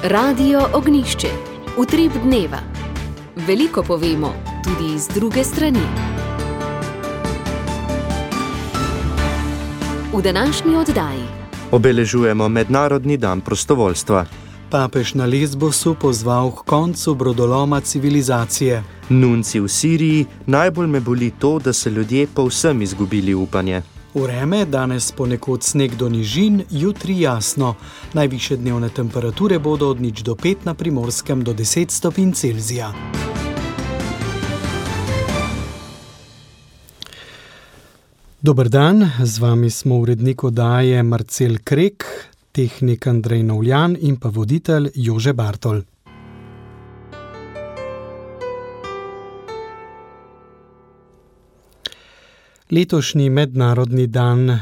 Radio Ognišče, utrip dneva. Veliko povemo, tudi z druge strani. V današnji oddaji obeležujemo Mednarodni dan prostovoljstva. Papež na Lesbosu pozval k koncu brodoloma civilizacije. Nunci v Siriji, najbolj me boli to, da se ljudje povsem izgubili upanje. Vreme, danes ponekod sneg do nižin, jutri jasno. Najvišje dnevne temperature bodo od 0 do 5, na Primorskem do 10 stopinj Celzija. Dober dan, z vami smo urednik oddaje Marcel Krek, tehnik Andrej Novljan in pa voditelj Jože Bartol. Letošnji Mednarodni dan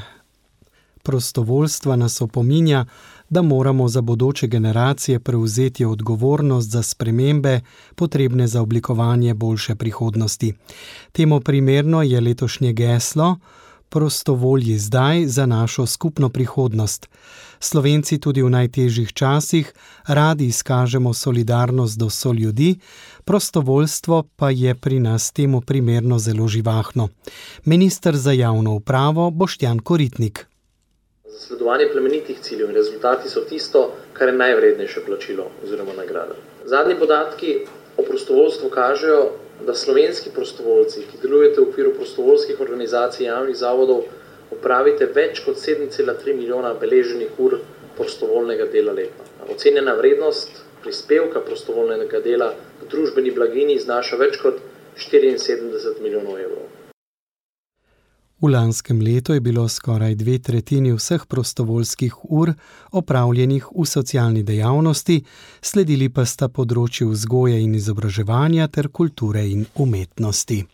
prostovoljstva nas opominja, da moramo za bodoče generacije prevzeti odgovornost za spremembe, potrebne za oblikovanje boljše prihodnosti. Temu primerno je letošnje geslo Prostovolji zdaj za našo skupno prihodnost. Slovenci tudi v najtežjih časih radi izkažemo solidarnost do soljudi, prostovoljstvo pa je pri nas temu primerno zelo živahno. Minister za javno upravo Boštjan Koritnik. Zasledovanje plemenitih ciljev in rezultati so tisto, kar je najvrednejše plačilo oziroma nagrada. Zadnji podatki o prostovoljstvu kažejo, da slovenski prostovoljci, ki delujete v okviru prostovoljskih organizacij javnih zavodov, opravite več kot 7,3 milijona beleženih ur prostovoljnega dela letno. Ocenjena vrednost prispevka prostovoljnega dela v družbeni blaginji znaša več kot 74 milijonov evrov. V lanskem letu je bilo skoraj 2/3 vseh prostovoljskih ur opravljenih v socialni dejavnosti, sledili pa sta področji vzgoje in izobraževanja ter kulture in umetnosti.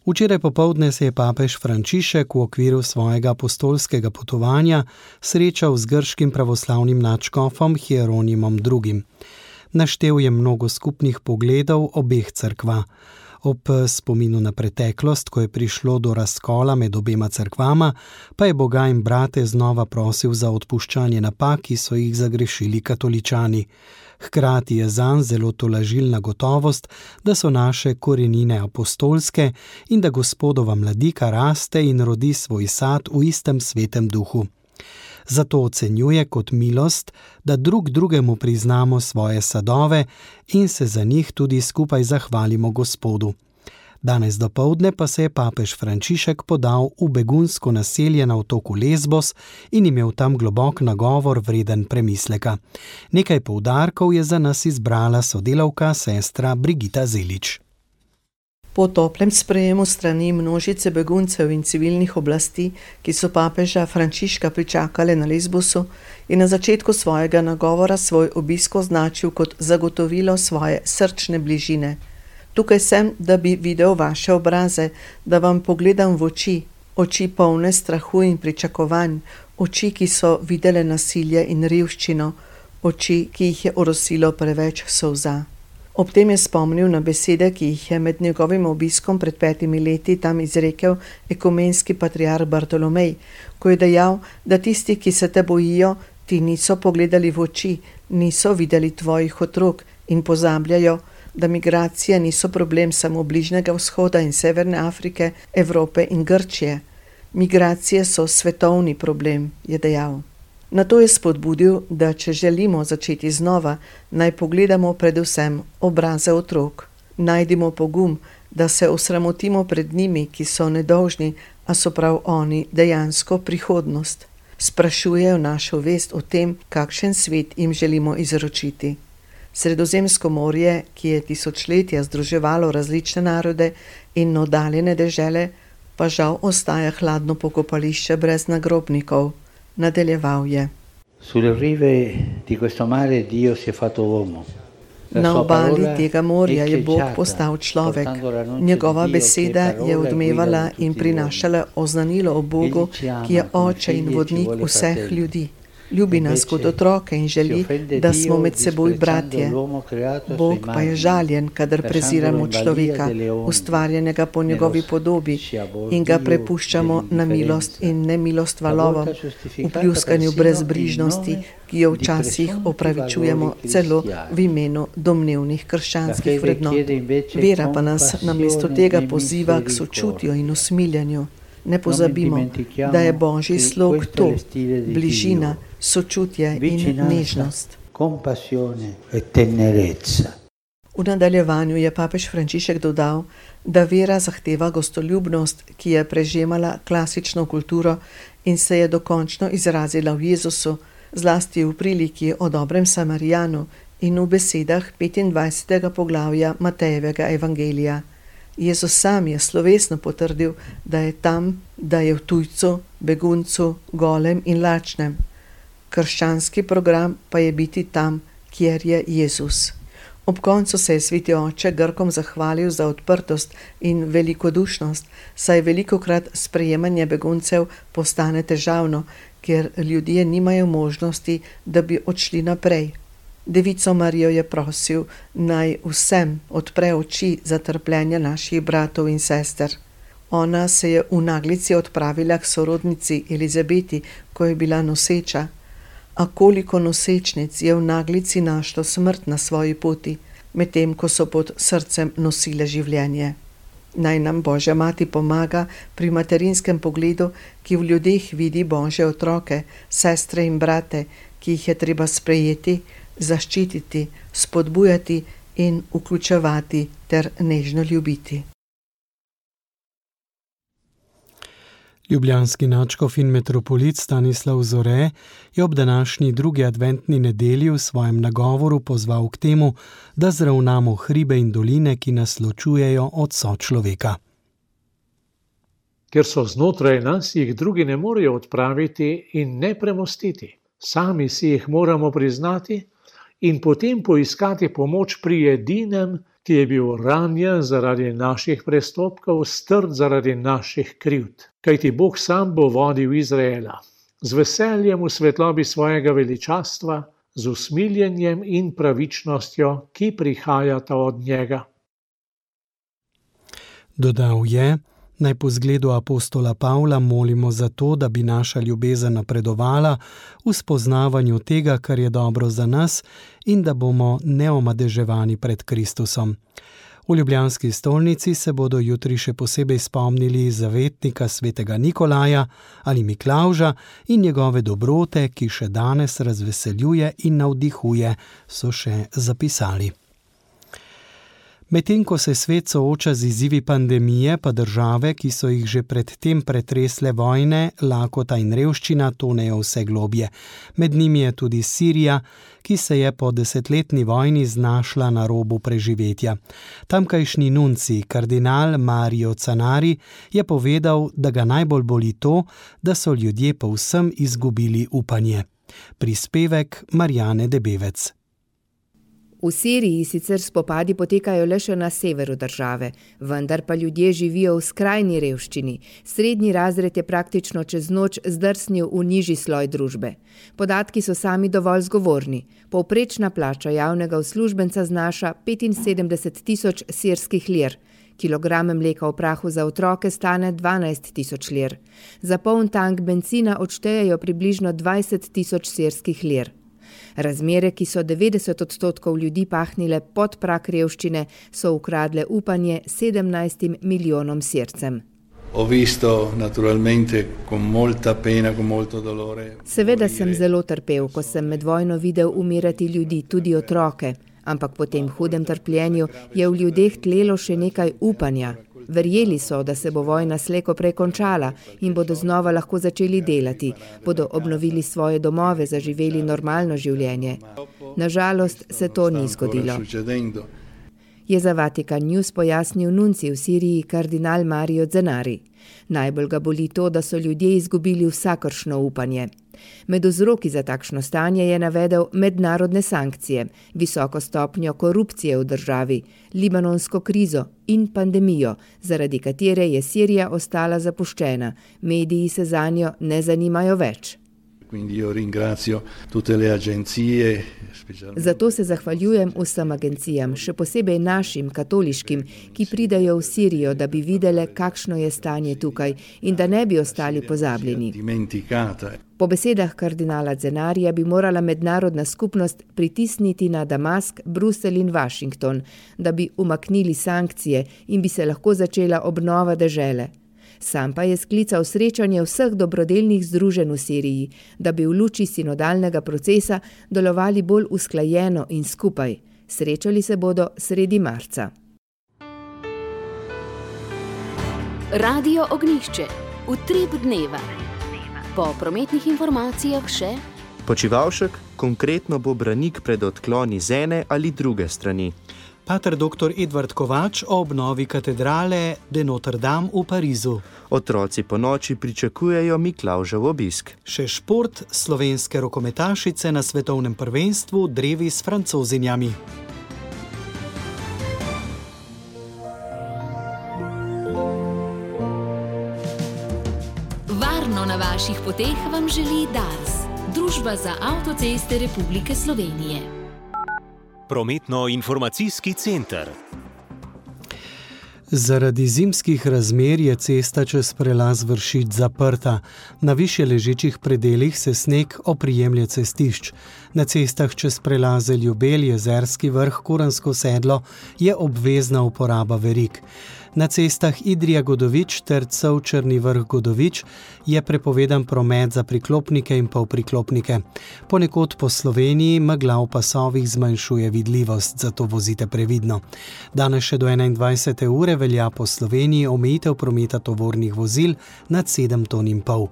Včeraj popoldne se je papež Frančišek v okviru svojega apostolskega potovanja srečal z grškim pravoslavnim nadškofom Hieronimom II. Naštel je mnogo skupnih pogledov obeh cerkva. Ob spominu na preteklost, ko je prišlo do razkola med obema cerkvama, pa je Boga in brate znova prosil za odpuščanje napak, ki so jih zagrešili katoličani. Hkrati je zanj zelo tolažilna gotovost, da so naše korenine apostolske in da Gospodova mladika raste in rodi svoj sad v istem svetem duhu. Zato ocenjuje kot milost, da drug drugemu priznamo svoje sadove in se za njih tudi skupaj zahvalimo Gospodu. Danes dopoldne pa se je papež Frančišek podal v begunsko naselje na otoku Lesbos in imel tam globok nagovor vreden premisleka. Nekaj poudarkov je za nas izbrala sodelavka sestra Brigita Zelič. Po toplem sprejemu strani množice beguncev in civilnih oblasti, ki so papeža Frančiška pričakale na Lesbosu, je na začetku svojega nagovora svoj obisk označil kot zagotovilo svoje srčne bližine. Tukaj sem, da bi videl vaše obraze, da vam pogledam v oči, oči polne strahu in pričakovanj, oči, ki so videle nasilje in revščino, oči, ki jih je orosilo preveč solza. Ob tem je spomnil na besede, ki jih je med njegovim obiskom pred 5 leti tam izrekel ekumenski patriarh Bartolomej, ko je dejal, da tisti, ki se te bojijo, ti niso pogledali v oči, niso videli tvojih otrok in pozabljajo, da migracije niso problem samo Bližnjega vzhoda in Severne Afrike, Evrope in Grčije. Migracije so svetovni problem, je dejal. Nato je spodbudil, da če želimo začeti znova, naj pogledamo predvsem obraze otrok. Najdimo pogum, da se osramotimo pred njimi, ki so nedolžni, a so prav oni dejansko prihodnost. Sprašujejo našo vest o tem, kakšen svet jim želimo izročiti. Sredozemsko morje, ki je tisočletja združevalo različne narode in oddaljene dežele, pa žal ostaja hladno pokopališče brez nagrobnikov. Nadaljeval je. Sulle rive di questo mare Dio si è fatto uomo. Na obali tega morja je Bog postal človek. Njegova beseda je odmevala in prinašala oznanilo o Bogu, ki je oče in vodnik vseh ljudi. Ljubi nas kot otroke in želi, da smo med seboj bratje. Bog pa je žaljen, kadar preziramo človeka, ustvarjenega po njegovi podobi, in ga prepuščamo na milost in nemilost valovom, v pljuskanju brezbrižnosti, ki jo včasih opravičujemo celo v imenu domnevnih krščanskih vrednot. Vera pa nas namesto tega poziva k sočutju in usmiljanju. Ne pozabimo, da je Božji slog to, bližina, sočutje in nežnost. V nadaljevanju je papež Frančišek dodal, da vera zahteva gostoljubnost, ki je prežemala klasično kulturo in se je dokončno izrazila v Jezusu, zlasti v priliki o dobrem Samarijanu in v besedah 25. poglavja Matejevega evangelija. Jezus sam je slovesno potrdil, da je tam, da je v tujcu, beguncu, golem in lačnem. Krščanski program pa je biti tam, kjer je Jezus. Ob koncu se je sveti oče Grkom zahvalil za odprtost in velikodušnost, saj velikokrat sprejemanje beguncev postane težavno, ker ljudje nimajo možnosti, da bi odšli naprej. Devico Marijo je prosil, naj vsem odpre oči za trpljenje naših bratov in sester. Ona se je v naglici odpravila k sorodnici Elizabeti, ko je bila noseča. A koliko nosečnic je v naglici našlo smrt na svoji poti, medtem ko so pod srcem nosile življenje. Naj nam Božja mati pomaga pri materinskem pogledu, ki v ljudeh vidi Božje otroke, sestre in brate, ki jih je treba sprejeti, zaščititi, spodbujati in vključevati ter nežno ljubiti. Ljubljanski nadškof in metropolit Stanislav Zore je ob današnji drugi adventni nedelji v svojem nagovoru pozval k temu, da zravnamo hribe in doline, ki nas ločujejo od sočloveka. Ker so znotraj nas, jih drugi ne morejo odpraviti in ne premostiti. Sami si jih moramo priznati in potem poiskati pomoč pri edinem, ki je bil ranjen zaradi naših prestopkov, strt zaradi naših krivd. Kajti Bog sam bo vodil Izraela. Z veseljem v svetlobi svojega veličastva, z usmiljenjem in pravičnostjo, ki prihajata od njega. Dodal je, naj po zgledu apostola Pavla molimo za to, da bi naša ljubezen napredovala v spoznavanju tega, kar je dobro za nas in da bomo neomadeževani pred Kristusom. V ljubljanski stolnici se bodo jutri še posebej spomnili zavetnika svetega Nikolaja ali Miklavža in njegove dobrote, ki še danes razveseljuje in navdihuje, so še zapisali. Medtem ko se svet sooča z izzivi pandemije, pa države, ki so jih že predtem pretresle vojne, lakota in revščina, tonejo vse globje. Med njimi je tudi Sirija, ki se je po desetletni vojni znašla na robu preživetja. Tamkajšnji nunci, kardinal Mario Zanari, je povedal, da ga najbolj boli to, da so ljudje povsem izgubili upanje. Prispevek Marjane Debevec. V Siriji sicer spopadi potekajo le še na severu države, vendar pa ljudje živijo v skrajni revščini. Srednji razred je praktično čez noč zdrsnil v nižji sloj družbe. Podatki so sami dovolj zgovorni. Povprečna plača javnega uslužbenca znaša 75.000 sirskih lir. Kilograme mleka v prahu za otroke stane 12.000 lir. Za poln tank bencina odštejejo približno 20.000 sirskih lir. Razmere, ki so 90% ljudi pahnile pod prag revščine, so ukradle upanje 17 milijonom Sircem. Seveda sem zelo trpel, ko sem med vojno videl umirati ljudi, tudi otroke, ampak po tem hudem trpljenju je v ljudeh tlelo še nekaj upanja. Verjeli so, da se bo vojna slejko prej končala in bodo znova lahko začeli delati, bodo obnovili svoje domove, zaživeli normalno življenje. Nažalost se to ni zgodilo. Je za Vatikan News pojasnil nunci v Siriji kardinal Mario Zanari. Najbolj ga boli to, da so ljudje izgubili vsakršno upanje. Med vzroki za takšno stanje je navedel mednarodne sankcije, visoko stopnjo korupcije v državi, libanonsko krizo in pandemijo, zaradi katere je Sirija ostala zapuščena. Mediji se zanjo ne zanimajo več. Zato se zahvaljujem vsem agencijam, še posebej našim, katoliškim, ki pridejo v Sirijo, da bi videle, kakšno je stanje tukaj in da ne bi ostali pozabljeni. Po besedah kardinala Zenarija bi morala mednarodna skupnost pritisniti na Damask, Bruselj in Washington, da bi umaknili sankcije in bi se lahko začela obnova dežele. Sam pa je sklical srečanje vseh dobrodelnih združenj v Siriji, da bi v luči sinodalnega procesa delovali bolj usklajeno in skupaj. Srečali se bodo sredi marca. Radio Ognjišče. Utrip dneva. Po prometnih informacijah še Počivalšek, konkretno bo branik pred odkloni z ene ali druge strani. Pater dr. Edvard Kovač o obnovi katedrale de Notre Dame v Parizu. Otroci po noči pričakujejo Miklavžev obisk. Še šport, slovenske rokometašice na svetovnem prvenstvu drevi s Francozinjami. Varno na vaših poteh vam želi Dars, Družba za avtoceste Republike Slovenije. Prometno-informacijski center. Zaradi zimskih razmer je cesta čez prelaz Vršič zaprta. Na višje ležečih predelih se sneg oprijemlje cestišč. Na cestah čez prelaze Ljubelj, Jezerski vrh, Kuransko sedlo je obvezna uporaba verig. Na cestah Idrija-Godovič ter Črni vrh Godovič je prepovedan promet za priklopnike in polpriklopnike. Ponekod po Sloveniji megla v pasovih zmanjšuje vidljivost, zato vozite previdno. Danes še do 21. ure velja po Sloveniji omejitev prometa tovornih vozil nad 7,5 ton.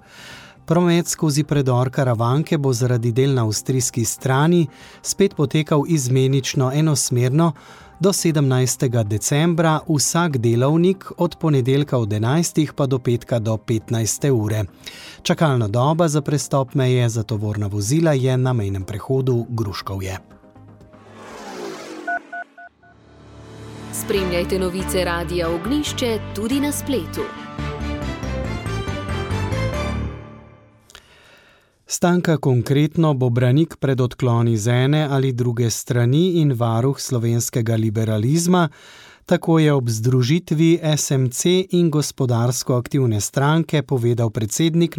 Promet skozi predor Karavanke bo zaradi del na avstrijski strani spet potekal izmenično enosmerno do 17. decembra, vsak delovnik od ponedeljka od 11. pa do petka do 15. ure. Čakalna doba za prestop meje za tovorna vozila je na mejnem prehodu Gruškovje. Spremljajte novice Radia Ognjišče tudi na spletu. Stanka konkretno bo branik pred odkloni z ene ali druge strani in varuh slovenskega liberalizma, tako je ob združitvi SMC in gospodarsko aktivne stranke povedal predsednik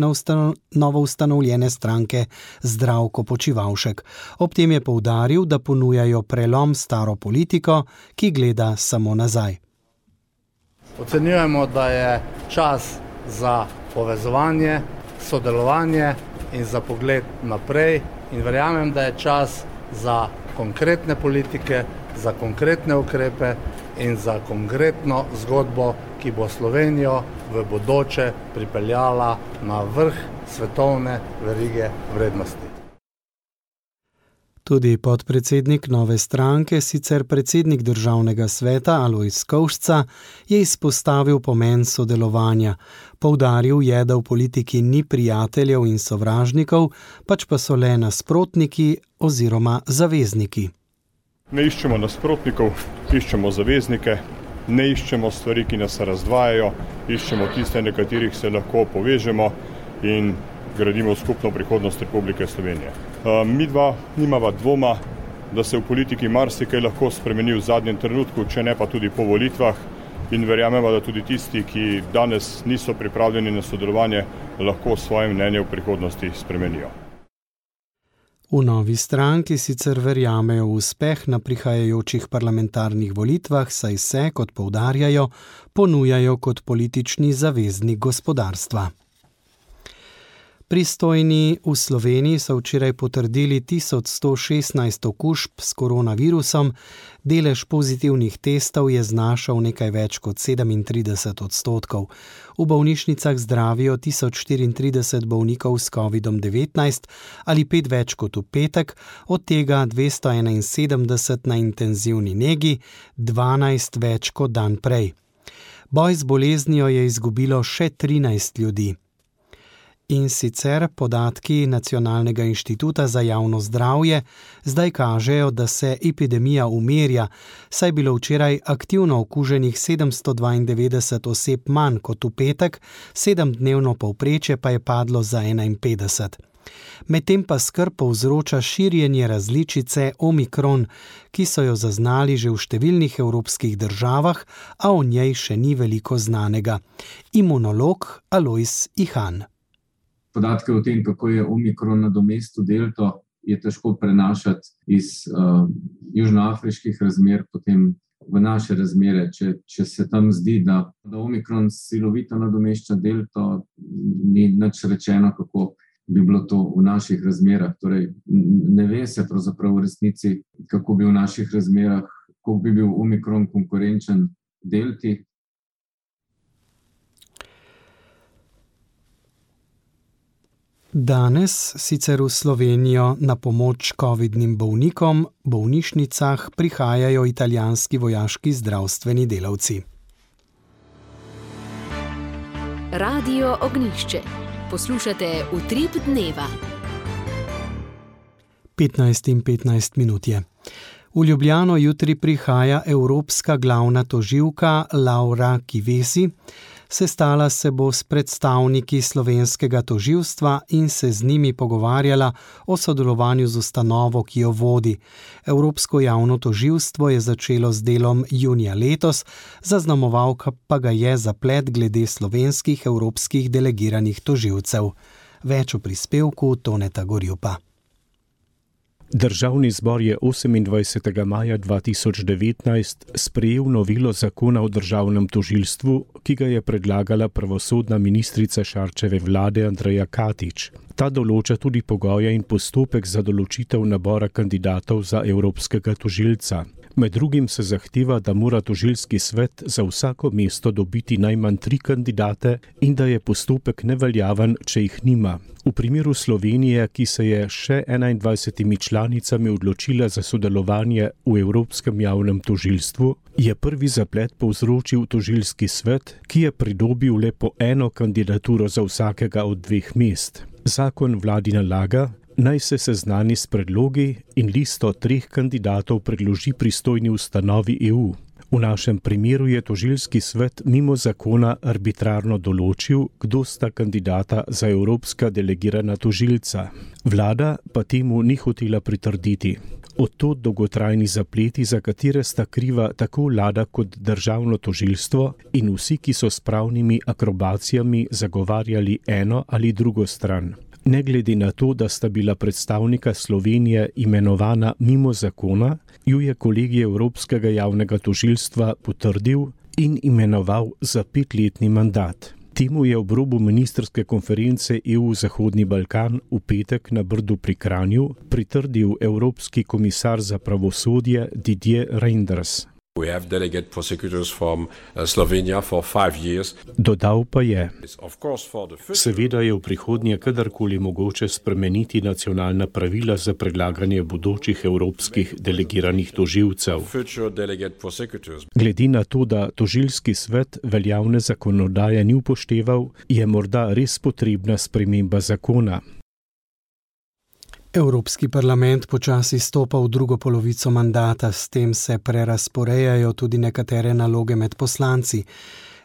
novoustanovljene stranke Zdravko Počivalšek. Ob tem je poudaril, da ponujajo prelom staro politiko, ki gleda samo nazaj. Ocenjujemo, da je čas za povezovanje, sodelovanje in za pogled naprej in verjamem, da je čas za konkretne politike, za konkretne ukrepe in za konkretno zgodbo, ki bo Slovenijo v bodoče pripeljala na vrh svetovne verige vrednosti. Tudi podpredsednik nove stranke, sicer predsednik državnega sveta Alojz Kovšca, je izpostavil pomen sodelovanja. Poudaril je, da v politiki ni prijateljev in sovražnikov, pač pa so le nasprotniki oziroma zavezniki. Ne iščemo nasprotnikov, iščemo zaveznike, ne iščemo stvari, ki nas razdvajajo, iščemo tiste, na katerih se lahko povežemo in gradimo skupno prihodnost Republike Slovenije. Mi dva nimava dvoma, da se v politiki marsikaj lahko spremeni v zadnjem trenutku, če ne pa tudi po volitvah, in verjamemo, da tudi tisti, ki danes niso pripravljeni na sodelovanje, lahko svoje mnenje v prihodnosti spremenijo. V novi stranki sicer verjamejo v uspeh na prihajajočih parlamentarnih volitvah, saj se, kot poudarjajo, ponujajo kot politični zaveznik gospodarstva. Pristojni v Sloveniji so včeraj potrdili 1116 okužb s koronavirusom, delež pozitivnih testov je znašal nekaj več kot 37%. V bolnišnicah zdravijo 1034 bolnikov s COVID-19 ali 5 več kot v petek, od tega 271 na intenzivni negi, 12 več kot dan prej. Boj z boleznijo je izgubilo še 13 ljudi. In sicer podatki Nacionalnega inštituta za javno zdravje zdaj kažejo, da se epidemija umirja, saj je bilo včeraj aktivno okuženih 792 oseb manj kot v petek, 7-dnevno povprečje pa je padlo za 51. Medtem pa skrb povzroča širjenje različice Omikron, ki so jo zaznali že v številnih evropskih državah, a o njej še ni veliko znanega. Imunolog Alojz Ihan. Podatke o tem, kako je Omikron nadomestil delto, je težko prenašati iz južnoafriških razmer potem v naše razmere. Če se tam zdi, da Omikron silovito nadomešča delto, ni nič rečeno, kako bi bilo to v naših razmerah. Torej, ne ve se pravzaprav v resnici, kako bi v naših razmerah, kako bi bil Omikron konkurenčen delti. Danes sicer v Slovenijo na pomoč covidnim bolnikom v bolnišnicah prihajajo italijanski vojaški zdravstveni delavci. Radio Ognjišče. Poslušate Utrip dneva. 15:15 je. V Ljubljano jutri prihaja evropska glavna tožilka Laura Kövesi. Sestala se bo s predstavniki slovenskega tožilstva in se z njimi pogovarjala o sodelovanju z ustanovo, ki jo vodi. Evropsko javno tožilstvo je začelo z delom junija letos, zaznamoval pa ga je zaplet glede slovenskih evropskih delegiranih tožilcev. Več o prispevku Toneta Gorjupa. Državni zbor je 28. maja 2019 sprejel novelo zakona o državnem tožilstvu, ki ga je predlagala pravosodna ministrica Šarčeve vlade Andreja Katič. Ta določa tudi pogoje in postopek za določitev nabora kandidatov za evropskega tožilca. Med drugim se zahteva, da mora tožilski svet za vsako mesto dobiti najmanj 3 kandidate in da je postopek neveljaven, če jih nima. V primeru Slovenije, ki se je še 21 članicami odločila za sodelovanje v Evropskem javnem tožilstvu, je prvi zaplet povzročil tožilski svet, ki je pridobil le po 1 kandidaturo za vsakega od 2 mest. Zakon vladi nalaga, naj se seznani s predlogi in listo 3 kandidatov predloži pristojni ustanovi EU. V našem primeru je tožilski svet mimo zakona arbitrarno določil, kdo sta kandidata za evropska delegirana tožilca. Vlada pa temu ni hotela pritrditi. Od tod dolgotrajni zapleti, za katere sta kriva tako vlada kot državno tožilstvo in vsi, ki so s pravnimi akrobacijami zagovarjali eno ali drugo stran. Ne glede na to, da sta bila predstavnika Slovenije imenovana mimo zakona, ju je kolegij Evropskega javnega tožilstva potrdil in imenoval za 5-letni mandat. Temu je ob robu ministrske konference EU Zahodni Balkan v petek na Brdu pri Kranju pritrdil Evropski komisar za pravosodje Didier Reynders. We have delegate prosecutors from Slovenia for 5 years. Dodal pa je: Seveda je v prihodnje kadarkoli mogoče spremeniti nacionalna pravila za predlaganje bodočih evropskih delegiranih tožilcev. Glede na to, da tožilski svet veljavne zakonodaje ni upošteval, je morda res potrebna sprememba zakona. Evropski parlament počasi stopa v drugo polovico mandata, s tem se prerazporejajo tudi nekatere naloge med poslanci.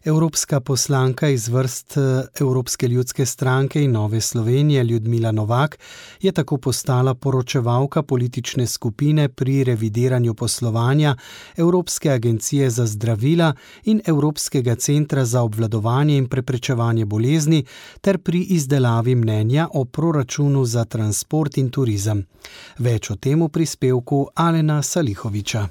Evropska poslanka iz vrst Evropske ljudske stranke in Nove Slovenije Ljudmila Novak je tako postala poročevalka politične skupine pri revidiranju poslovanja Evropske agencije za zdravila in Evropskega centra za obvladovanje in preprečevanje bolezni ter pri izdelavi mnenja o proračunu za transport in turizem. Več o tem v prispevku Alena Salihoviča.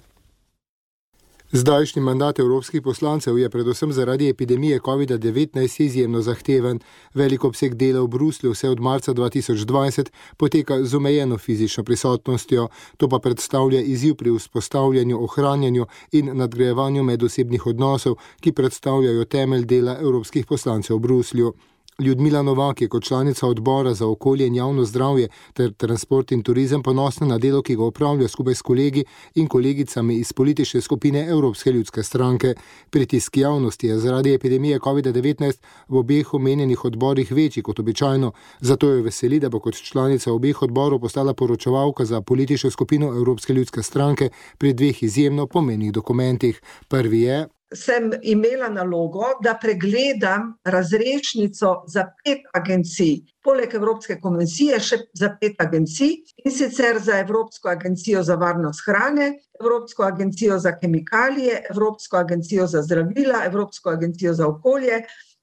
Zdajšnji mandat evropskih poslancev je predvsem zaradi epidemije COVID-19 izjemno zahteven. Velik obseg dela v Bruslju vse od marca 2020 poteka z omejeno fizično prisotnostjo. To pa predstavlja izziv pri vzpostavljanju, ohranjanju in nadgrajevanju medosebnih odnosov, ki predstavljajo temelj dela evropskih poslancev v Bruslju. Ljudmila Novak je kot članica odbora za okolje in javno zdravje ter transport in turizem ponosna na delo, ki ga opravlja skupaj s kolegi in kolegicami iz politične skupine Evropske ljudske stranke. Pritisk javnosti je zaradi epidemije COVID-19 v obeh omenjenih odborih večji kot običajno, zato jo veseli, da bo kot članica obeh odborov postala poročevalka za politično skupino Evropske ljudske stranke pri 2 izjemno pomenjenih dokumentih. Prvi je sem imela nalogo, da pregledam razrešnico za 5 agencij, poleg Evropske komisije še za 5 agencij, in sicer za Evropsko agencijo za varnost hrane, Evropsko agencijo za kemikalije, Evropsko agencijo za zdravila, Evropsko agencijo za okolje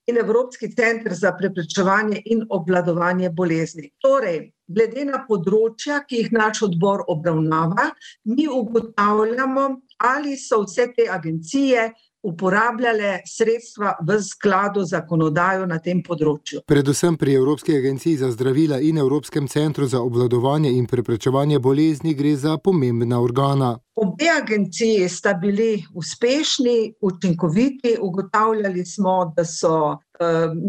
in Evropski center za preprečevanje in obvladovanje bolezni. Torej, glede na področja, ki jih naš odbor obravnava, mi ugotavljamo, ali so vse te agencije uporabljale sredstva v skladu z zakonodajo na tem področju. Predvsem pri Evropski agenciji za zdravila in Evropskem centru za obvladovanje in preprečevanje bolezni gre za pomembna organa. Obe agenciji sta bili uspešni, učinkoviti, ugotavljali smo, da so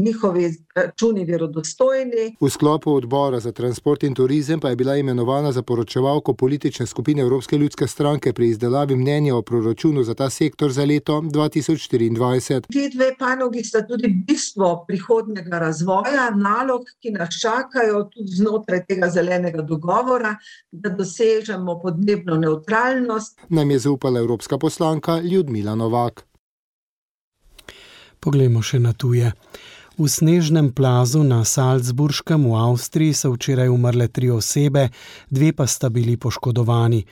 njihovi računi verodostojni. V sklopu odbora za transport in turizem pa je bila imenovana za poročevalko politične skupine Evropske ljudske stranke pri izdelavi mnenja o proračunu za ta sektor za leto 2024. Ti dve panogi sta tudi bistvo prihodnjega razvoja, nalog, ki nas čakajo tudi znotraj tega zelenega dogovora, da dosežemo podnebno nevtralnost. Nam je zaupala evropska poslanka Ljudmila Novak. Poglejmo še na tuje. V snežnem plazu na Salzburškem v Avstriji so včeraj umrle 3 osebe, 2 pa sta bili poškodovani.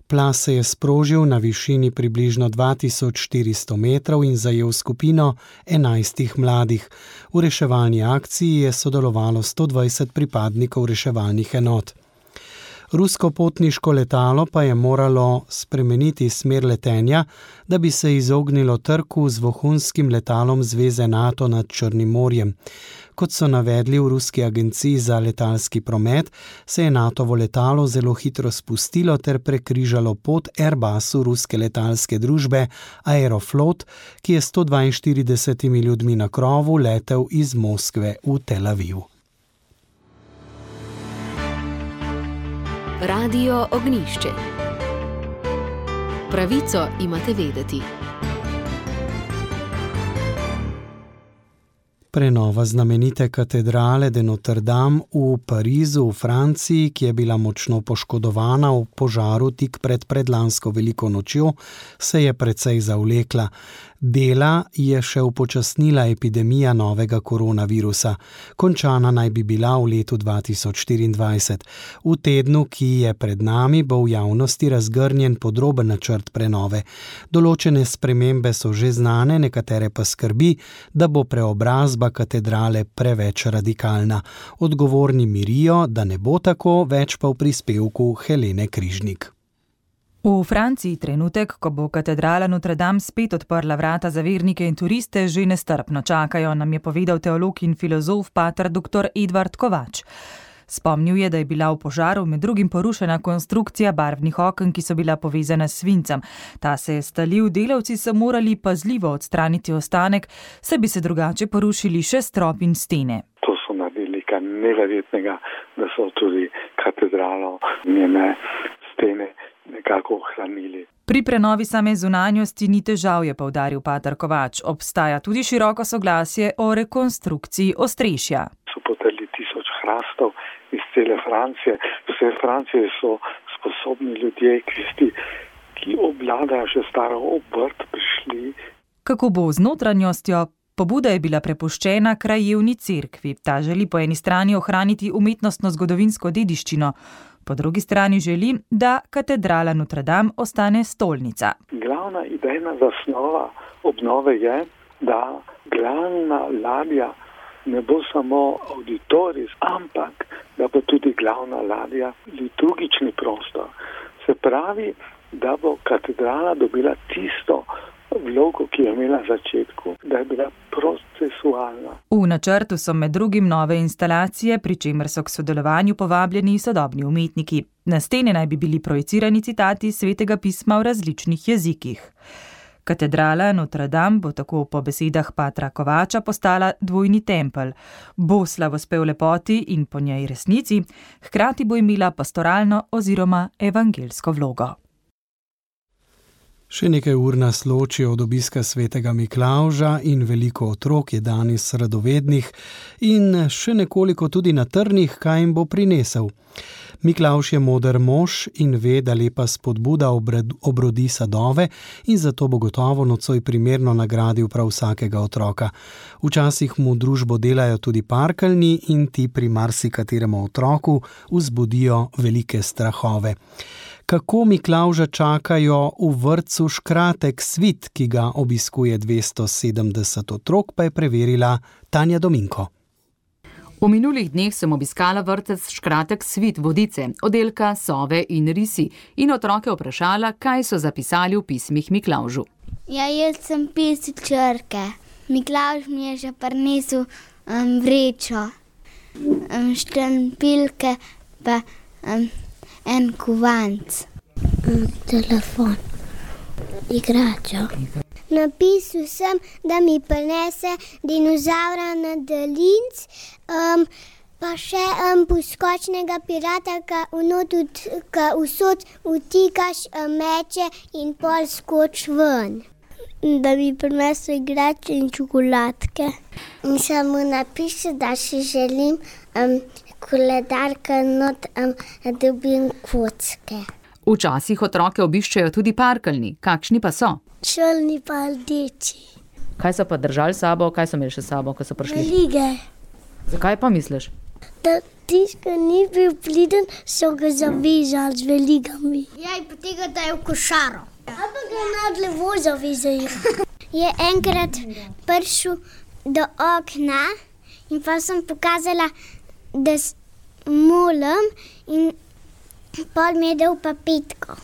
Plaz se je sprožil na višini približno 2400 metrov in zajel skupino 11 mladih. V reševalni akciji je sodelovalo 120 pripadnikov reševalnih enot. Rusko potniško letalo pa je moralo spremeniti smer letenja, da bi se izognilo trku z vohunskim letalom zveze NATO nad Črnim morjem. Kot so navedli v ruski agenciji za letalski promet, se je NATOvo letalo zelo hitro spustilo ter prekrižalo pot Airbusu ruske letalske družbe Aeroflot, ki je 142 ljudmi na krovu letel iz Moskve v Tel Aviv. Radio Ognjišče. Pravico imate vedeti. Prenova znamenite katedrale de Notre Dame v Parizu v Franciji, ki je bila močno poškodovana v požaru tik pred predlansko veliko nočjo, se je precej zavlekla. Dela je še upočasnila epidemija novega koronavirusa. Končana naj bi bila v letu 2024. V tednu, ki je pred nami, bo v javnosti razgrnjen podroben načrt prenove. Določene spremembe so že znane, nekatere pa skrbi, da bo preobrazba katedrale preveč radikalna. Odgovorni mirijo, da ne bo tako, več pa v prispevku Helene Križnik. V Franciji trenutek, ko bo katedrala Notre Dame spet odprla vrata za vernike in turiste, že nestrpno čakajo, nam je povedal teolog in filozof pater dr. Edvard Kovač. Spomnil je, da je bila v požaru med drugim porušena konstrukcija barvnih oken, ki so bila povezana s svincem. Ta se je stalil, delavci so morali pazljivo odstraniti ostanek, saj bi se drugače porušili še strop in stene. To so naredili nekaj neverjetnega, da so tudi katedralo, njene stene nekako ohranili. Pri prenovi same zunanjosti ni težav, je poudaril pater Kovač. Obstaja tudi široko soglasje o rekonstrukciji ostrešja. So potrli 1000 hrastov iz cele Francije. Vse Francije so sposobni ljudje, ki obvladajo že staro obrt, prišli. Kako bo z notranjostjo? Pobuda je bila prepuščena krajevni cerkvi. Ta želi po eni strani ohraniti umetnostno zgodovinsko dediščino, po drugi strani želi, da katedrala Notre Dame ostane stolnica. Glavna idejna zasnova obnove je, da glavna ladja ne bo samo auditorij, ampak da bo tudi glavna ladja liturgični prostor. Se pravi, da bo katedrala dobila tisto vlogo, ki je imela na začetku, da je bila procesualna. V načrtu so med drugim nove instalacije, pri čemer so k sodelovanju povabljeni sodobni umetniki. Na stene naj bi bili projicirani citati svetega pisma v različnih jezikih. Katedrala Notre Dame bo tako po besedah patra Kovača postala dvojni tempelj. Bo slavospev lepoti in po njej resnici, hkrati bo imela pastoralno oziroma evangelsko vlogo. Še nekaj ur nas loči od obiska svetega Miklavža in veliko otrok je danes radovednih in še nekoliko tudi na trnih, kaj jim bo prinesel. Miklavž je moder mož in ve, da lepa spodbuda obrodi sadove in zato bo gotovo nocoj primerno nagradil prav vsakega otroka. Včasih mu družbo delajo tudi parkeljni in ti pri marsikateremu otroku vzbudijo velike strahove. Kako Miklavža čakajo v vrtcu Škratek Svit, ki ga obiskuje 270 otrok, pa je preverila Tanja Dominko. V minulih dneh sem obiskala vrtec Škratek Svit Vodice, oddelka Sove in risi, in otroke vprašala, kaj so zapisali v pismih Miklavžu. Ja, jaz sem pisal črke. Miklavž mi je že prinesel vrečo, štampiljke pa en kovanc. Telefon, igračo. Napisal sem, da mi prinese dinozaura na daljinc, pa še poskočnega pirata, ka vsod utikaš meče in pol skoč ven. Da mi prinesel igrače in čokoladke. In sem mu napisal, da si želim koledarka not, da dobim kocke. Včasih otroke obiščejo tudi parkeljni. Kakšni pa so? Črni pa rdeči. Kaj so pa držali sabo? Kaj so imeli še sabo, ko so prišli? Velige. Zakaj pa misliš? Da tiska ni bil pliden, so ga zavezali z veligami. Ja, in potem ga dajo v košaro. Ampak ga nad levo zavezajo. Je enkrat prišel do okna in pa sem pokazala, da molim in pol mi je dal pa petko.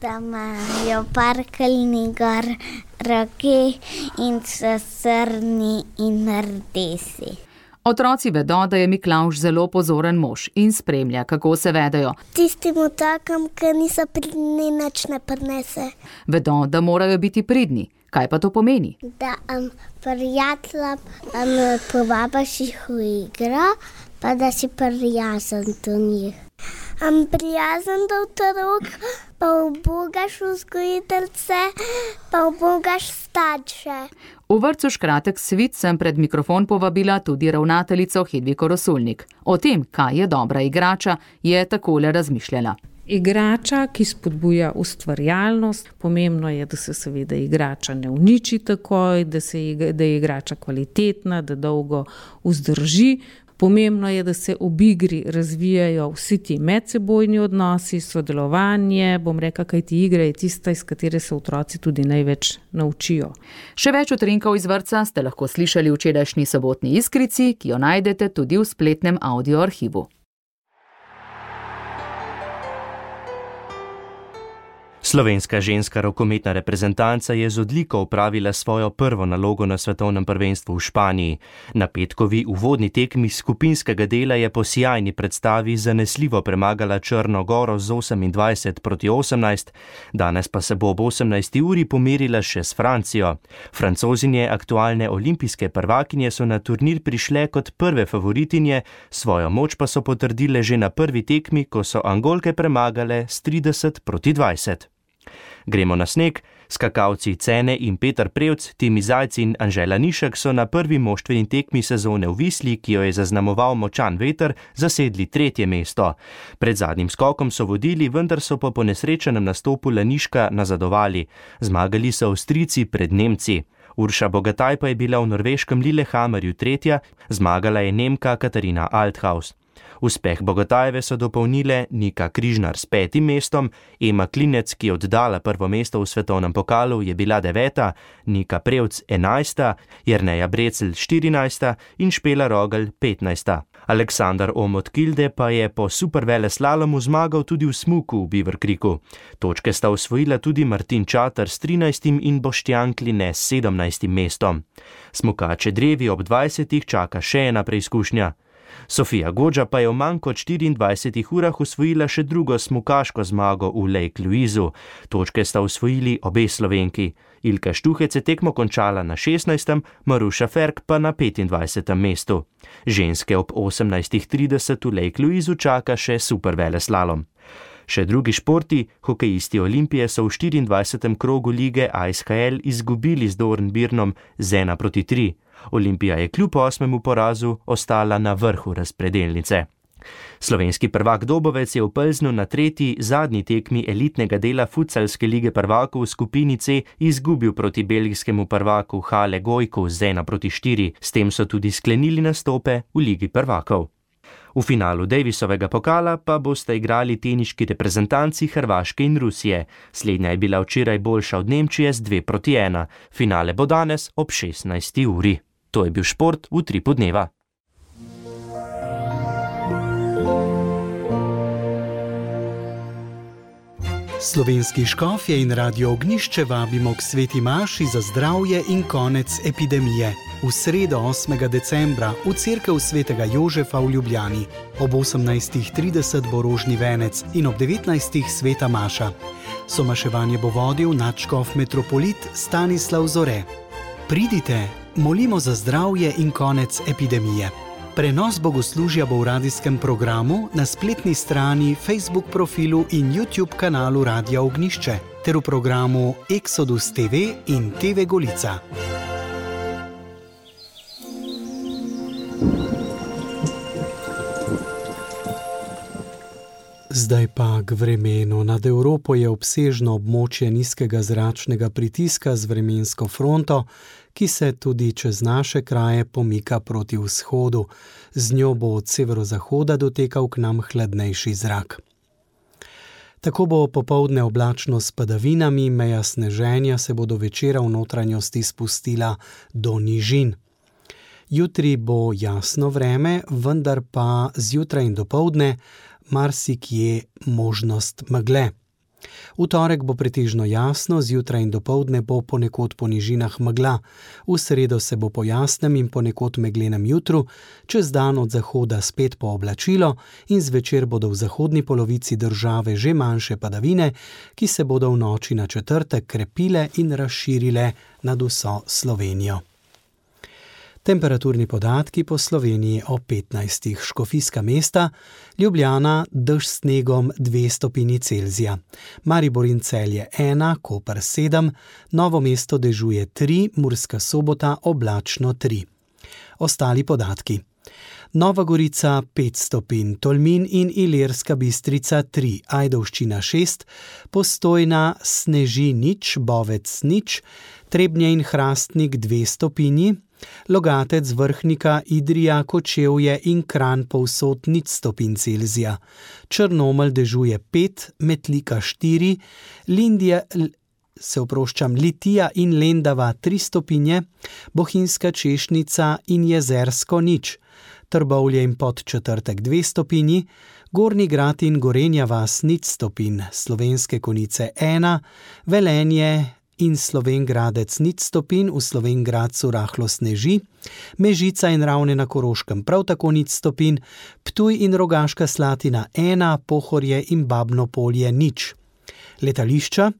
Da imajo parkeljni gor roke in so srni in rdesi. Otroci vedo, da je Miklavž zelo pozoren mož in spremlja, kako se vedejo. Tistim otrokom, ki niso pridni, nič ne prinese. Vedo, da morajo biti pridni. Kaj pa to pomeni? Da prijatelja povabiš jih v igro, pa da si prijazen do njih. Prijazen do otrok, pa ubogaš vzgojiteljce, pa ubogaš starše. V vrtcu Škratek Svit sem pred mikrofon povabila tudi ravnateljico Hedviko Rosulnik. O tem, kaj je dobra igrača, je takole razmišljala. Igrača, ki spodbuja ustvarjalnost, pomembno je, da se seveda igrača ne uniči takoj, da je igrača kvalitetna, da dolgo vzdrži. Pomembno je, da se ob igri razvijajo vsi ti medsebojni odnosi, sodelovanje, bom rekla, kajti igra je tista, iz katere se otroci tudi največ naučijo. Še več utrinkov iz vrtca ste lahko slišali v včerajšnji sobotni Iskrici, ki jo najdete tudi v spletnem audio arhivu. Slovenska ženska rokometna reprezentanca je z odliko opravila svojo prvo nalogo na svetovnem prvenstvu v Španiji. Na petkovi uvodni tekmi skupinskega dela je po sijajni predstavi zanesljivo premagala Črno Goro z 28-18, danes pa se bo ob 18. uri pomerila še s Francijo. Francozinje, aktualne olimpijske prvakinje, so na turnir prišle kot prve favoritinje, svojo moč pa so potrdile že na prvi tekmi, ko so Angolke premagale s 30-20. Gremo na sneg. Skakalci Cene in Peter Prevc, Timi Zajc in Anžela Nišek so na prvi moštveni tekmi sezone v Visli, ki jo je zaznamoval močan veter, zasedli 3. mesto. Pred zadnjim skokom so vodili, vendar so po ponesrečenem nastopu Laniška nazadovali. Zmagali so Avstrijci pred Nemci. Urša Bogataj pa je bila v norveškem Lillehammerju 3., zmagala je Nemka Katarina Althaus. Uspeh Bogatajeve so dopolnile Nika Križnar s 5. mestom, Ema Klinec, ki je oddala prvo mesto v svetovnem pokalu, je bila 9., Nika Prevc 11., Jerneja Brecel 14. in Špela Rogel 15. Aleksandar Omot Kilde pa je po superveleslalomu zmagal tudi v smuku v Beaver Creeku. Točke sta osvojila tudi Martin Čater s 13. in Boštjan Kline s 17. mestom. Smukače drevi ob 20. čaka še ena preizkušnja. Sofija Godža pa je v manj kot 24 urah osvojila še drugo smukaško zmago v Lake Louisu. Točke sta osvojili obe Slovenki. Ilka Štuhec je tekmo končala na 16., Maruša Ferk pa na 25. mestu. Ženske ob 18.30 v Lake Louisu čaka še superveleslalom. Še drugi športi, hokejisti Olimpije so v 24. krogu lige ISHL izgubili z Dornbirnom z 1-3. Olimpija je kljub 8. porazu ostala na vrhu razpredelnice. Slovenski prvak Dobovec je v Plznu na tretji, zadnji tekmi elitnega dela futsalske lige prvakov v skupini C izgubil proti belgijskemu prvaku Hale Gojku z 1-4. S tem so tudi sklenili nastope v ligi prvakov. V finalu Davisovega pokala pa boste igrali teniški reprezentanci Hrvaške in Rusije. Slednja je bila včeraj boljša od Nemčije z 2-1. Finale bo danes ob 16. uri. To je bil šport v Utripu dneva. Slovenski škofje in Radio Ognjišče vabimo k sveti maši za zdravje in konec epidemije. V sredo 8. decembra v cerkev svetega Jožefa v Ljubljani. Ob 18.30 bo rožni venec in ob 19. sveta maša. Somaševanje bo vodil nadškof metropolit Stanislav Zore. Pridite, molimo za zdravje in konec epidemije. Prenos bogoslužja bo v radijskem programu, na spletni strani, Facebook profilu in YouTube kanalu Radia Ognjišče ter v programu Exodus TV in TV Golica. Zdaj pa k vremenu. Nad Evropo je obsežno območje nizkega zračnega pritiska z vremensko fronto, ki se tudi čez naše kraje pomika proti vzhodu. Z njo bo od severozahoda dotekal k nam hladnejši zrak. Tako bo popoldne oblačno s padavinami, meja sneženja se bo do večera v notranjosti spustila do nižin. Jutri bo jasno vreme, vendar pa zjutraj in dopoldne marsikje možnost megle. V torek bo pretežno jasno, zjutraj in dopoldne bo ponekod po nižinah megla. V sredo se bo po jasnem in ponekod meglenem jutru, čez dan od zahoda spet pooblačilo in zvečer bodo v zahodni polovici države že manjše padavine, ki se bodo v noči na četrtek krepile in razširile nad vso Slovenijo. Temperaturni podatki po Sloveniji o 15. Škofijska mesta, Ljubljana dež s snegom 2 stopinji Celzija, Maribor in Celje 1, Koper 7, Novo mesto dežuje 3, Murska Sobota oblačno 3. Ostali podatki. Nova Gorica 5 stopinj, Tolmin in Ilirska Bistrica 3, Ajdovščina 6, Postojna sneži nič, Bovec nič, Trebnje in Hrastnik 2 stopinji, Logatec, Vrhnika, Idrija, Kočevje in Kranj povsod 0 stopinj Celzija, Črnomelj dežuje 5, Metlika 4, Litija in Lendava 3 stopinje, Bohinjska Češnica in Jezersko nič, Trbovlje in Podčetrtek 2 stopinji, Gornji Grad in Gorenja vas 0 stopinj, Slovenske Konjice 1, Velenje in Slovenj Gradec 0 stopinj, v Slovenj Gradcu rahlo sneži, Mežica in Ravne na Koroškem prav tako 0 stopinj, Ptuj in Rogaška Slatina 1, Pohorje in Babno Polje 0. Letališča: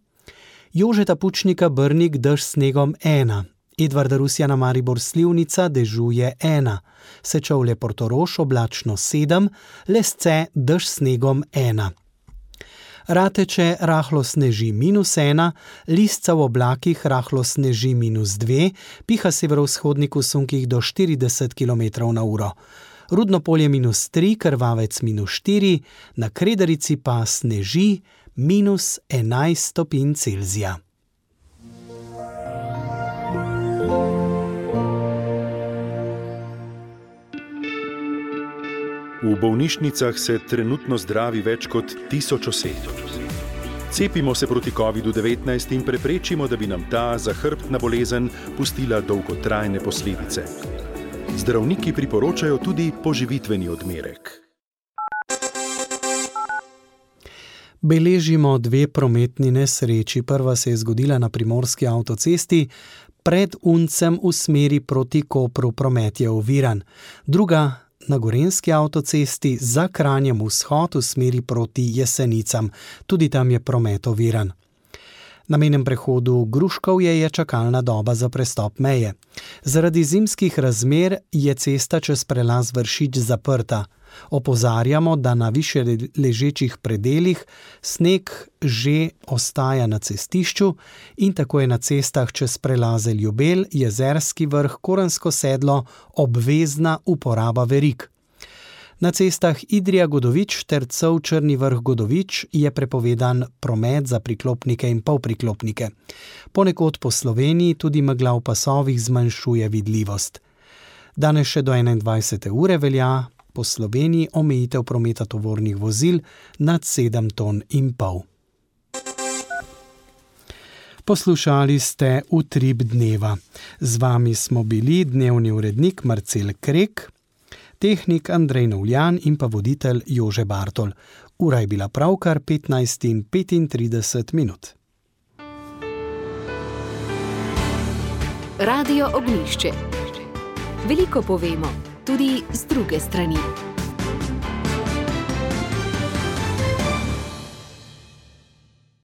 Jožeta Pučnika Brnik dež s snegom 1, Edvarda Rusjana Maribor Slivnica dežuje 1, Sečovlje Portorož oblačno 7, Lesce dež s snegom 1. Rateče rahlo sneži -1, Lisca v oblakih rahlo sneži -2, piha severovzhodnik v sunkih do 40 km/h. Rudno Polje -3, Krvavec -4, na Kredarici pa sneži -11 stopinj Celzija. V bolnišnicah se trenutno zdravi več kot 1000 oseb. Cepimo se proti COVID-19 in preprečimo, da bi nam ta zahrbtna bolezen pustila dolgotrajne posledice. Zdravniki priporočajo tudi poživitveni odmerek. Beležimo 2 prometni nesreči. Prva se je zgodila na primorski avtocesti, pred Uncem v smeri proti Kopru promet je oviran. Druga na gorenjski avtocesti za Kranjem vzhod v smeri proti Jesenicam. Tudi tam je promet oviran. Na mejnem prehodu Gruškovje je čakalna doba za prestop meje. Zaradi zimskih razmer je cesta čez prelaz Vršič zaprta. Opozarjamo, da na više ležečih predelih sneg že ostaja na cestišču in tako je na cestah čez prelaze Ljubelj, Jezerski vrh, Korensko sedlo obvezna uporaba verig. Na cestah Idrija-Godovič ter Cov-Črni Vrh-Godovič je prepovedan promet za priklopnike in polpriklopnike. Ponekod po Sloveniji tudi megla v pasovih zmanjšuje vidljivost. Danes še do 21. ure velja po Sloveniji omejitev prometa tovornih vozil nad 7,5 ton. Poslušali ste Utrip dneva. Z vami smo bili dnevni urednik Marcel Krek, tehnik Andrej Novljan in pa voditelj Jože Bartol. Ura je bila pravkar 15:35. Radio Ognjišče. Veliko povemo, tudi z druge strani.